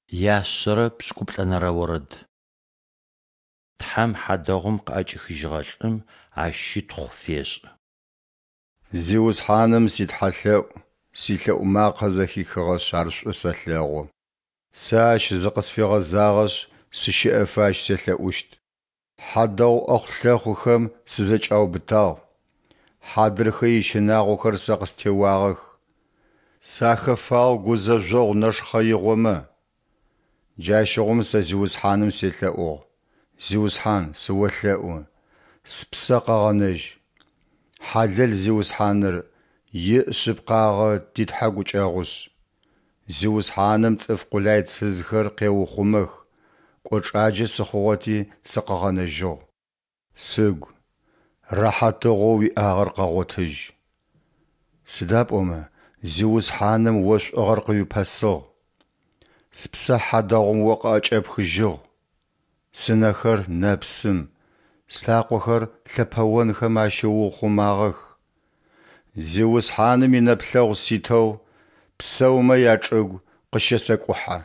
Яшъэрэ пшӏыкӏуплӏэнэрэ орэд. Тхьэм хьадэгъум къыӏэкӏихыжьыгъэ лӏым Ащ щытхъу фешӏы. Зиусхьаным ситхьэлъэӏу, силъэӏу макъэ зэхихыгъэшъ ар шӏу сэлъэгъу. Сэ Ащ зыкъысфигъэзагъэшъ, сыщэӏэфэ Ащ селъэӏущт. Хьадэгъу ӏэхъу-лъэхъухэм сызэкӏаубытагъ, хьадрыхэ ищынагъохэр сэ къыстеуагъэх. Сахэфагъ гузэжъогъу нэшхъэигъомэ. Джащыгъум сэ Зиусхьаным селъэӏугъ, Зиусхьан, сыолъэӏу, спсэ къэгъэнэжь! Хьалэл Зиусхьаныр, иӏ шъыпкъагъэ ти Тхьэ гукӏэгъушӏ. Зиусхьаным цӏыф къулайцызхэр къеухъумэх, кӏочӏаджэ сыхъугъэти сыкъыгъэнэжьыгъ. Сыгу, рэхьатыгъоу уиӏагъэр къэгъотыжь. Сыда пӏомэ Зиусхьаным о шӏугъэр къыуипэсыгъ. Спсэ хьадэгъум О къыӏэкӏэпхыжьыгъ. Сынэхэр нэпсым, слъакъохэр лъэпэонхэм ащыуухъумагъэх. Зиусхьаным инэплъэгъу ситэу псэумэ ячӏыгу къыщэсэкӏухьэ.